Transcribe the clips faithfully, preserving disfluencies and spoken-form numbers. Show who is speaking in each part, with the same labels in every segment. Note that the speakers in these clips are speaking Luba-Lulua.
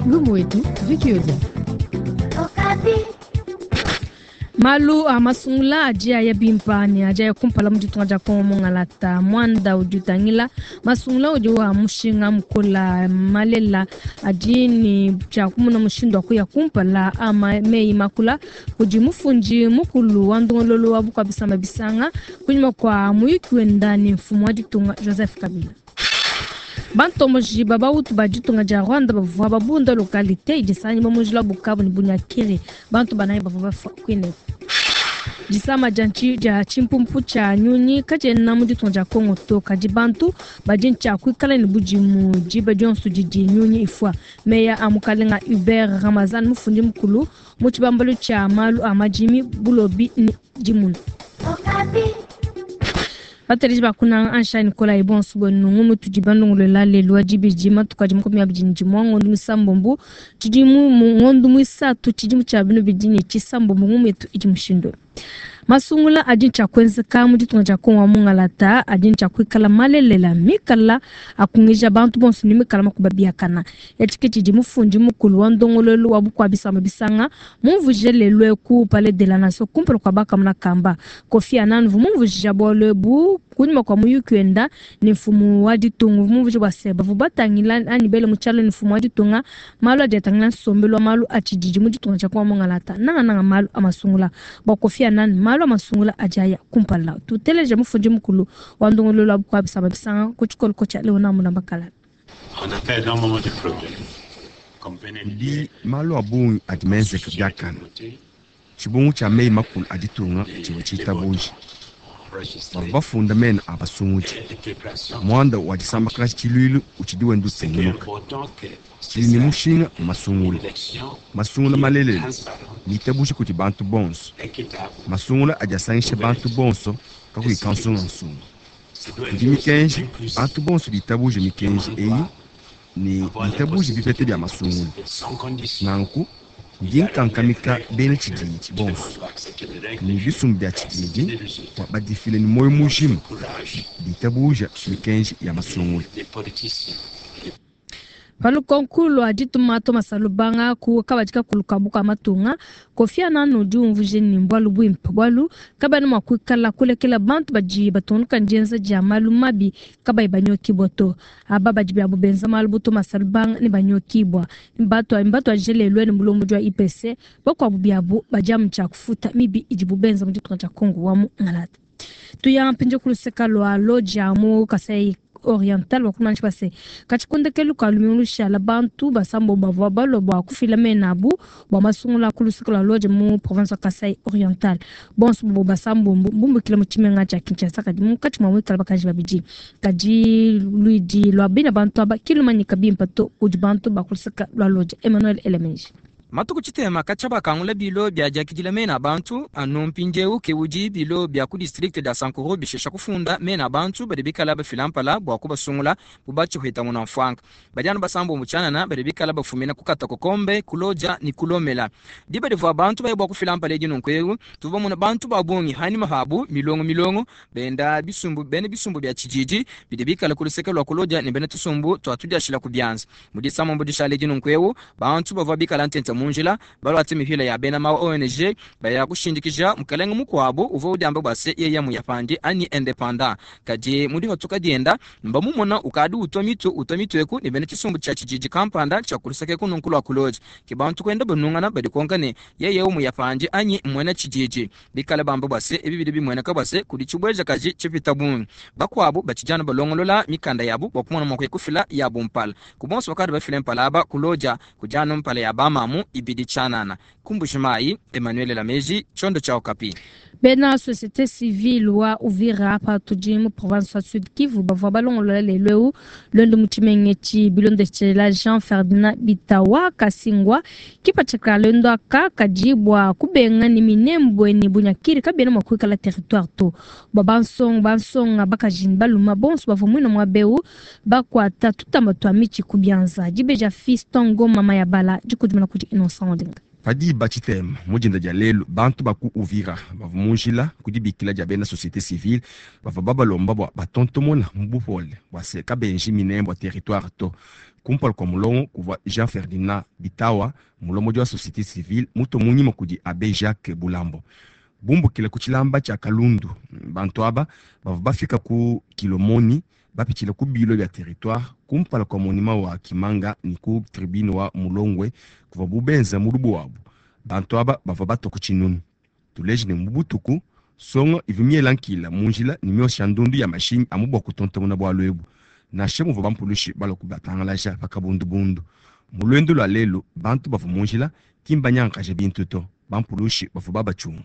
Speaker 1: Lumu wetu Vicky Odia.
Speaker 2: Malu a masungula adi aya bimpa ne adi aya kumpala mu ditunga dia Kongo mungalata. Muanda udi utangila masungula udi wa mushinga mukola malela adi ne tshia kumona mushindu wa kuya kumpala a meyi makula kudi mufundi mukulu wa ndongololo wa bukua bisamba bisanga kunyima kua muyuki wenda ne mfumu wa ditunga Joseph Kabila. Bantomboji babautu ba ditunga dia Rwanda bavua babunda localité idi sanyibwa mu njila Bukavu ne Bunyakiri. Bantu banayi bavua bafua kwine. Disama dia nchi dia tshimpumpu tshia nyunyi katshiena mu ditunga dia Kongo to, kadi bantu badi ntshia kuikala ne budimu diba dionso didi nyunyi ifua. Meya a mukalenga Hubert Ramazan mufundi mukulu mu tshibambalu tshia malu a madimi bulobi ne dimuna. Bateleji bakuna ansha Nicolas Ebonso bwenu mutudi bandongolola lelu wa dibidi matuku adi makumi abidi ne dimue ngondo muisambombo tshidimu ngondo muisatu tshidimu tshia binu bidi ne tshisambombo ngumu yetu idi mushindu. Masungula adi ntshia kuenzeka mu ditunga dia Kongo wa mungalata adi ntshia kuikala malelela mikala akungija bantu bonso ne mikala makuba biakana. Etshi ke tshidi mufundi mukulu wa ndongololo wa bukua bisamba bisanga mumvuje lelu eku Palais de la Nation kumpala kua bakamuna kamba. Kofi Annan mumvuje bualu ebu kunyima kua muyuki wenda ne mfumu wa ditunga mumvuje bua se bavua batangila anyi bele mu tshialo ne mfumu wa ditunga malu adi atangila nsombelu wa malu a tshididi mu ditunga dia Kongo wa mungalata nangananga malu a masungula. Bua Kofi Annan malu a masungula adi aya kumpala. Tuteleje mufundi mukulu wa ndongololo wa bukua bisamba bisanga ku tshikoloko tshia Léonard Mulamba Kalala.
Speaker 3: On a fait énormément de progrès.
Speaker 4: Kudi malu a bungi adi menzeke biakana. Tshibungu tshia meyi makulu a ditunga tshivua tshitabuja. Bavua bafunda mena a basungudi. Muanda wa disambakaja tshiluilu utshidi wenda utungunuka. Tshidi ne mushinga mu masungula. Masungula malelela mitabuje kudi bantu bonso. Masungula adi asangisha bantu bonso kakuyi kansungansunga. Kudi mikenji, bantu bonso bitabuje mikenji eyi ne bitabuje bipete bia masungula. Nanku ndi nkankamika bena tshididi bonso ne bisumbu bia tshididi bua badifile ne muoyo mujima bitabuja mikenji ya masungula.
Speaker 2: Palukonku lua dituma Thomas Lubanga ku kabadi kakulu ka buka matunga Kofi Annan udi umvuje ne bualu buimpe bualu kabana mua kuikala kulekela bantu badi batungunuka ndienza dia malu mabi kabayi banyokibwa to. Aba badi biabo benza malu bu Thomas Lubanga ne banyokibwa. Mbatu mbatu ajelelwe ne mulombodi wa I P C bakuabu biabo badi amu tshia kufuta mibi idibu benza mu ditunga dia Kongo wa mu Ngalata. Tuya mpindieu ku luseka lua Lodja mu Kasai Oriental wakumanyisha base katshikondekelu ka lumingu lushala bantu basambo bavua balua bua kufila mena abu bua masungula ku luseke lua Lodja mu province wa Kasai Oriental. Bonso bobo basambo mbumbukile mu tshimenga tshia Kinshasa kadi munkatshi mua muikala bakaji babidi. Kadi luidi lua bina bantu aba kilumanyika bimpe to kudi bantu ba ku luseke lua Lodja. Emmanuel Elemenji.
Speaker 5: Matuku tshitema katshia bakangula bilo bia diakidila mena bantu anu mpindieu ke udi bilo bia ku district dia Sankuru bishesha kufunda mena bantu badi bikala bafila mpala bua kubasungula bu batshihweta muna mfwanga. Badi anu basambo mu tshianana badi bikala bafumina ku Katakokombe, ku Lodja ne ku Lomela. Diba divua bantu baye bua kufila mpala edi nunku eu, tuvua muna bantu ba bungi hanyima habu milongo milongo benda bisumbu bene bisumbu bia tshididi bidi bikala ku luseke lua ku Lodja ne bena tusumbu tua tudiashila ku bianza. Mu disambo dishale edi nunku eu, bantu bavua bikala ntenta mu njila balwate mihila ya bena ma O N G baya kushindikija mukalenge mukuabu uvua udiamba bua se yeye muyapandi ani independant. Kadi mudi hatuka dienda mbamumona ukadi utwa mitu utwa mitu eku ne bena tshisumbu tshia tshididi kampanda tshia kuluseke kununku lua ku Lodja. Ke bantu kwenda banungana badi konka ne yeye muyapandi anyi mwena tshididi. Bikala bamba bua se ebi bidi bimweneka bua se kudi tshibweja kaji tshipita bungi. Bakuabu batshijana balongolola mikanda yabu bua kumona mua kufila yabu mpala. Ku bonso bakadi bafile mpala aba ku Lodja kujana mpala ya bamamu ibidi tshianana. Kumbujimayi Emmanuel Lameji Chondo cha Okapi.
Speaker 2: Bena société civile wa Uvira hapa tudi mu province wa Sud Kivu bavua balongolola lelu eu lwendo mu tshimenga etshi bilondeshela Jean Ferdinand Bitawa Kasingwa kipatshika lwendo aka kadi bua kubenga ne minembwe ne bunyakiri kabiena mua kuikala territoire to. Bua bansonga, bansonga bakaji ne baluma bonso bavua muina mua beu bakuata tutamba tua mitshi ku bianza. Dibeja Fiston Ngoma Mayabala dikudimuna kudi Innocent Olenga.
Speaker 4: Padi bachitema mujinda dia lelu bantu baku Uvira bavua mu njila ku dibikila dia bena société civile bavua babalomba bua batontomona mu bupole bua se kabenji minembo territoire to. Kumpala kwa mulongo kuvua Jean Ferdinand Bitawa mulombodi wa société civile muto munyima kudi Abbé Jacques Bulambo. Bumbukile ku tshilamba tshia Kalundu bantu aba bavua bafika ku Kilomoni bapitshila ku bilo bya territoire kumpala kwa monument wa Kimanga ni ku tribune wa Mulongwe kuvua bubenza mu lubu wabu. Bantu aba bavua batwa ku tshinunu. Tuleji ne mubutuku songo ivua miela nkila mu njila ne miosha ndundu ya mashinyi amu bua kutontomona bualu ebu. Nansha muvua bampulushi balua kubatangalaja pa kabundubundu. Mu luendu lua lelu bantu bavua mu njila ki mbanyankaje bintu to, bampulushi bavua babachunga.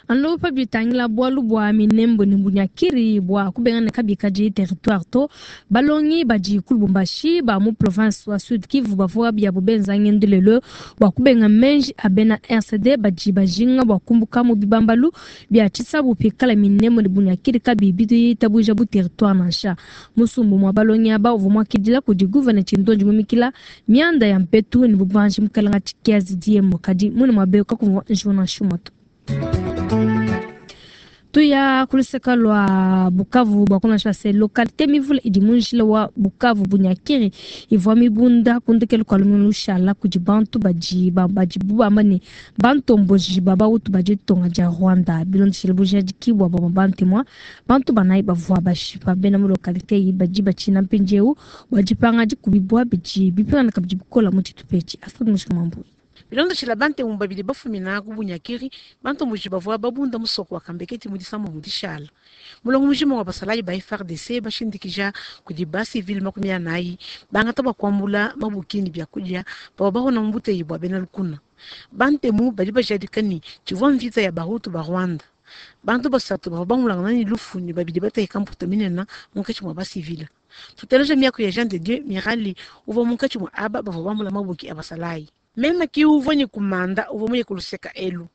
Speaker 2: Anu pa bitangila bualu bua minembo ne bunyakiri bua kubengana kabikaji territoire to balongi badi ku Lubumbashi ba mu province wa Sud Kivu bavua biabo benza ngendo lelo bua kubenga menji a bena R C D badi bajinga bua kumbuka mu bibambalu bia tshisabu pikala minembo ne bunyakiri kabi bitabuja bu territoire nansha. Musumbu mwa balongi aba uvua muakidila kudi gouverneur Tshindonji mumikila mianda ya mpetu ne bubanji mukalanga tshikiazi diemo kadi mune mwabe kakumvua Jonas Shumoto. Tuya kuluseka lwa Bukavu bwa kuna shase localité mivule idi munjila wa Bukavu bunyakiri ivwa mibunda kundekelo kwa lumu lushala kudi bantu baji ba baji bubamba ne bantomboji baba utu baji tonga ja Rwanda bilondeshele bujaji kibwa ba bantu mwa bantu banai bavwa bashipa bena mu localité yi baji bachina mpinjeu bajipanga dikubibwa biji bipanga kabiji bukola mu tshitupechi Astrid Mushamambu.
Speaker 1: Bilondeshela bante mu babili bafumina ku bunyakiri bantu muji bavua babunda musoko wa Kambeketi mu disambo mu dishala. Mulongo mujima wa basalayi ba F R D C bashindikija kudi ba civil makumi anayi bangata bakwambula mabukini bya kudia baba bahona mu buteyi bwa bena lukuna. Bantemu badi bajadika ni tshivua mvita ya Bahutu ba Rwanda. Bantu basatu bavua bangulangana ni lufu ni babili bateka mputa minena munkatshi mwa ba civil. Tuteleja miaku ya Jean de Dieu Mirali uvua munkatshi mwa aba bavua bambula mabuki a basalayi. Meme ki uvua ni kumanda uvua muye kuluseka elu.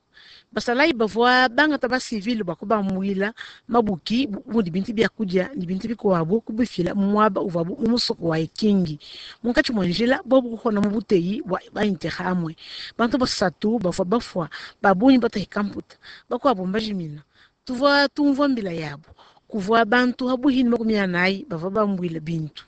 Speaker 1: Basalayi bavua bangata ba civil bua kubambuila mabuki mudi bintu bya kudia ni bintu bikuabo kubifila mwaba uvua mu musoko wa Ikingi. Munkatshi mwa njila bobu kuhona mu buteyi bwa ba Interahamwe. Bantu basatu bavua bafua babunyi batahika mputa bakwabo mbajimina. Tuvua tumvua mbila yabo kuvua bantu habuhini makumi anayi bavua bambuila bintu.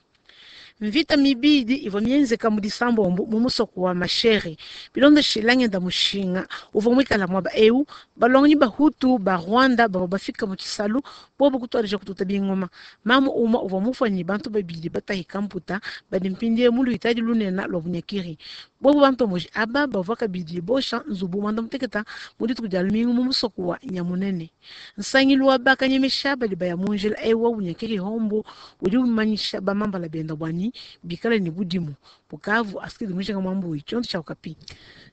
Speaker 1: Mvita mibidi ivua mienzeka mu disambombo mu musoko wa Mashere. Bilondeshela ngenda mushinga uvua mwikala mwaba eu balongi Bahutu ba Rwanda bavua bafika mu tshisalu bobo kutwalija kututa bingoma. Mamu umwe uvua mufanyi bantu babidi batahika mputa badi mpindie mu luitadi lunena lwa bunyakiri. Bobo bantu moji aba bavua kabidi bosha nzubu mwanda muteketa mu dituku dia lumingu mu musoko wa Nyamunene. Nsangilu wa bakanyemesha badi baya mu njila eu wa bunyakiri hombo udi umanyisha bamambala benda bwani bikala ni budimu. Bukavu Astrid Mujinga Mwambu chonto cha Okapi.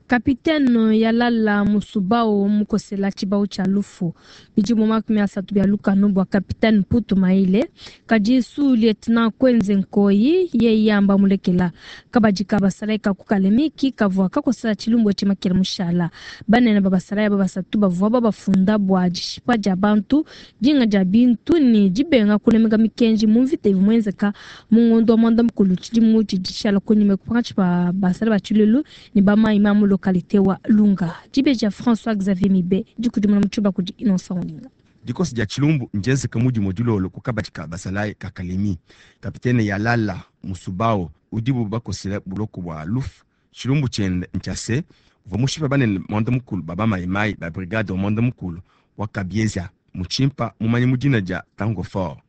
Speaker 2: Kapitene Yalala Musubao mukosela tshibao tsha lufu bidimu makumi asatu bia lukanu bua kapitene Mputu Maile kadi su lieutenant Kwenze Nkoyi ye yamba mulekela kabadika basalayi kakukalemiki kavua kakosela tshilumbu tshimakela mushala banene babasalayi babasatu bavua babafunda bua dishipa dia bantu dinga dia bintu ni dibenga kulemeka mikenji mu mvita ivua muenzeka mu ngondo wa mwanda mukulu tshidimu tshidishala kunyima kupanga ba basala ba tshilulu ni bamayi ma mu localité wa Lunga. Dibeja François Xavier Mibe dikudimuna mutshuba kudi Innocent Olinga.
Speaker 4: Dikosi dia tshilumbu njenzeka mudi modulolo kukabadika basalayi kakalemi. Kapitene Yalala Musubao udibu bakosela buloko bwa lufu tshilumbu tshiende ntshiase uvua mushipa banene mwanda mukulu baba mayimayi ba brigade wa mwanda mukulu wa Kabieza muchimpa mumanye mudina dia Tango Fort.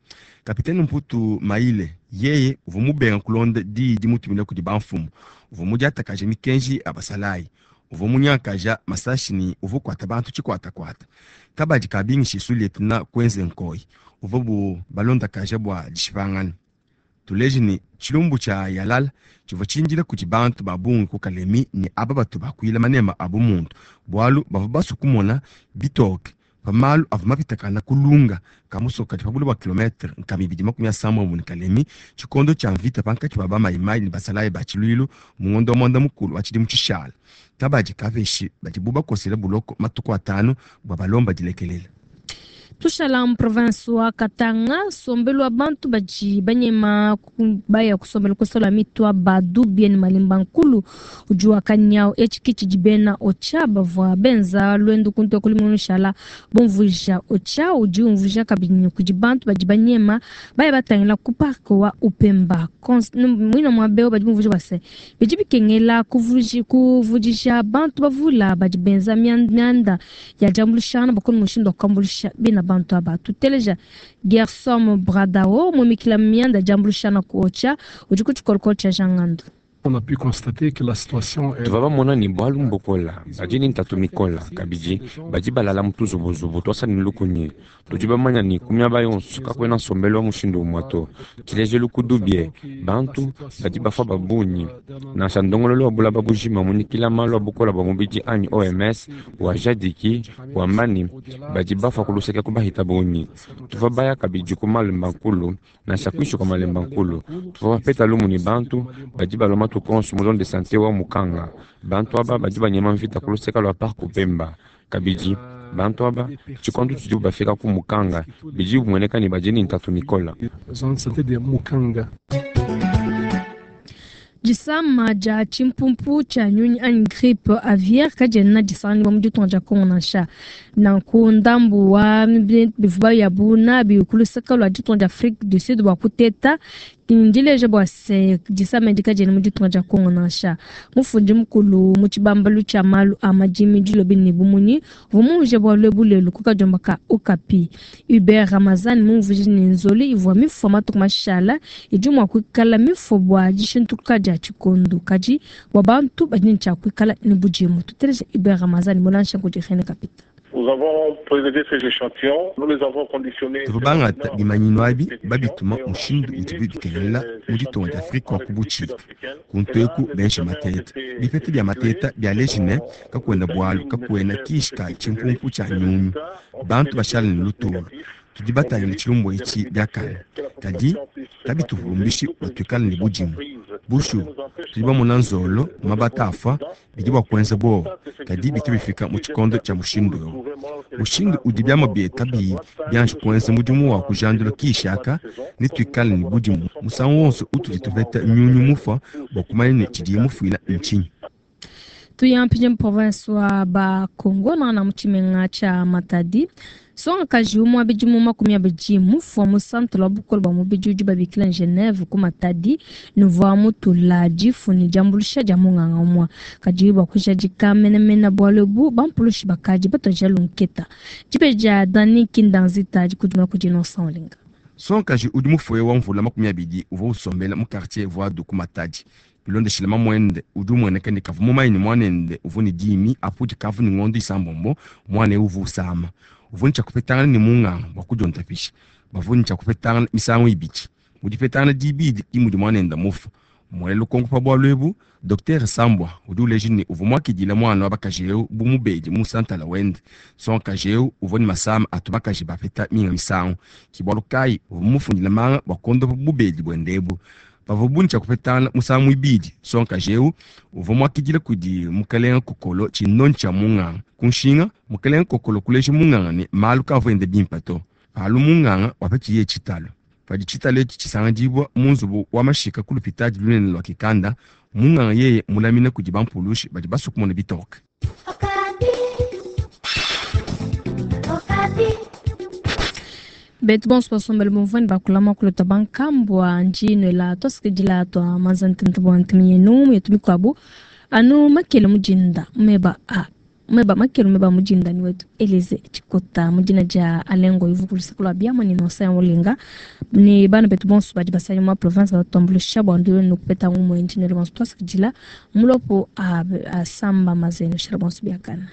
Speaker 4: Kapitene Mputu Maile yeye uvua mubenga kulonda diyi dimutumina kudi bamfumu uvua mudiatakaje mikenji ya basalayi uvua munyakaja masashi ni uvua kuata bantu tshikwatakwata. Kabadi kabingishi su lieutenant Kwenze Nkoyi uvua bu balondakaja bua dishipangana. Tuleji ni tshilumbu tshia Yalala tshivua tshindila kudi bantu ba bungi ku Kalemi ni aba batu bakuila manema abu muntu bualu bavua basu kumona bitoke pamalu avua mapitakana kulunga kamusoka kadi pabulu bua kilometre nkama ibidi makumi asambombo ne Kalemi tshikondo tshia mvita pankatshi ba bamayimayi ne basalayi ba tshiluilu mu ngondo wa mwanda mukulu wa tshidimu tshishala. Kabadi kapeshi badibu bakosela buloko matuku atanu bua balomba dilekelela.
Speaker 2: Tushala mu province wa Katanga, sombelu wa bantu badi banyema baya kusombela kusola mitwa badu bien malimba nkulu udi wa kanyao etshi tshidi bena ocha bavua benza lwendo kuntu kulimunu shala bomvuija ocha udi umvuija kabidi kudi bantu badi banyema baya batangila ku parc wa Upemba mwina mwa beo badi bomvuija base bidi bikengela kuvuji kuvudisha bantu bavula badi benza mianda ya jambulishana bakoni mushindo wa kuambulisha bena bantu aba tuteleja Gersom Bradao mumikila mianda jambulishana kuocha udi kutshikolokolo tsha jangandu.
Speaker 6: On a pu constater que la situation est
Speaker 7: tuva bamona ni bwalu mbukola badi ni ntatu mikola kabidi badi balala mutuzubuzubu twasa ni lukunyi tudi bamanya ni kumia yonso kakwena nsombelo wa mushindu umwa to tshilejelu kudubie bantu badi bafa babunyi nansha ndongololo wa bulaba bujima munikila malu a bukola bwa mubidi anyi O M S wa jadiki wamba ni badi bafa kuluseka kubahita bunyi tuva baya kabidi ku malemba nkulu nansha kwishu kwa malemba nkulu tuva bapeta lumu ni bantu badi baloma tukonso mu zone de santé wa mukanga bantu aba badi banyema mvita kuluseka lwa parc Upemba kabidi bantu aba tshikondu tshidi bafika ku mukanga bidi bumueneka ni badi ni ntatu mikola
Speaker 6: zone de santé de Mukanga.
Speaker 2: Disama dia tshimpumpu tshia nyunyi anyi grippe aviaire kadiena disangibua mu ditunga dia Congo nansha nanku ndambu wa bivuba yabu nabi kuluseka lua ditunga dia Afrique du Sud bua kuteta ndileja bua se disama edi kadiena mu ditunga dia Congo nansha mufundi mukulu mu tshibambalu tshia malu a madimi dilobi ne bumunyi vumuje bua lwebu lelu ku kadiomba ka Okapi Hubert Ramazani mumvuije ne nzoli ivua mifua matuku mashala idi mua kuikala mifua bua dishintuka dia tshikondo kadi bua bantu badi ne tshia kuikala ne budimu tuteleja Hubert Ramazani mulansha kudi René Kapita.
Speaker 8: Nous avons prélevé ces échantillons, nous les avons conditionnés.
Speaker 4: Tuvabangata bimanyinu abi babituma mushindu udibi bikelela mu ditunga dia Afrika wa kubuchika kuntu eku benshi mateta bipete bya mateta bya lejine kakwenda bwalu kakwena kishika tshimpumpu tshia nyunyu bantu bashala ne lutulu tudi batangile tshilumbu etshi biakane kadi kabituhumbishi batuikale ne budimu bushu tudi bamona nzolo mabata afa bidi bua kuenza bowa kadi bitu bifika mu tshikondo tshia mushindu eu mushindu udi biama bieta biyi bianji kuenza mudimu wa kujandula kishaka ne tuikale ne budimu musangu wonso utudi tupeta nyunyu mufa bua kumanya ne tshidiye mufuila ntshinyi.
Speaker 2: Tuyampije mu province wa Bakongo na mu tshimenga tshia Matadi songa umwe abidi mu makumi abidi mufua mu centre wa bukolo bwa mubidi udi babikila Geneve ku Matadi nuvua mutula difuni diambulusha dia munganga umwa kadi bua kujadika menemene bualu ebu bampulushi bakadi batoja lunketa dibe dia Dani Kindanzita dikudimuna kudi Innocent Olenga.
Speaker 4: Sonkaji udi mufue wa mvula makumi abidi uvua usombela mu quartier Voado ku Matadi bilondeshile mamwende udi umueneka ne kavu mumanyi ne mwanende uvua ne dimi apu dikavu ne ngondo isambombo mwana eu uvua usama uvua ne tshia ne munganga bua kudiondapisha bavua ne tshia kupetangana misangu ibidi mu dipetangana dibidi ki mudi mwanende mufa muele lukonko pa bualu ebu Docteur Sambwa udi uleja ne uvua muakidile mwana wa bakaji eu bu mubedi mu santala wende sonkaji eu uvua ne masama atu bakaji bapeta minga misangu ki bualu kayi uvua mufundile manga bua kondopa bubedi buende ebu pavua buni tshia kupetangana musangu ibidi sonkaji eu uvua muakidile kudi mukalenga kokolo tshinonyi tshia munganga kunshinga mukalenga kokolo kuleja munganga ne malu kavua ende bimpe to palu munganga wapetshiye tshitalo padi tshitalo etshi tshisangidibua mu nzubu wa mashika ku lupitadi lunene lua kikanda munganga yeye mulamine kudi bampulushi badi basua kumona bitoke.
Speaker 2: Betu bonso basombele bumvua ne bakulama kulota bankambua njino twasikidila twa manzantente bua ntimi yenu yetu mikuabu anu makele mujinda meba a meba makele meba mujinda ni wetu Elise Chikota mujina dia alengo ivukulusaka lua biama ni nosa ya mulinga ni bana betu bonso badi basali mwa province batuambulisha bua ndu nukupeta ngumu njino bonso twasikidila mulopo a, a samba mazeno shara bonso biakana.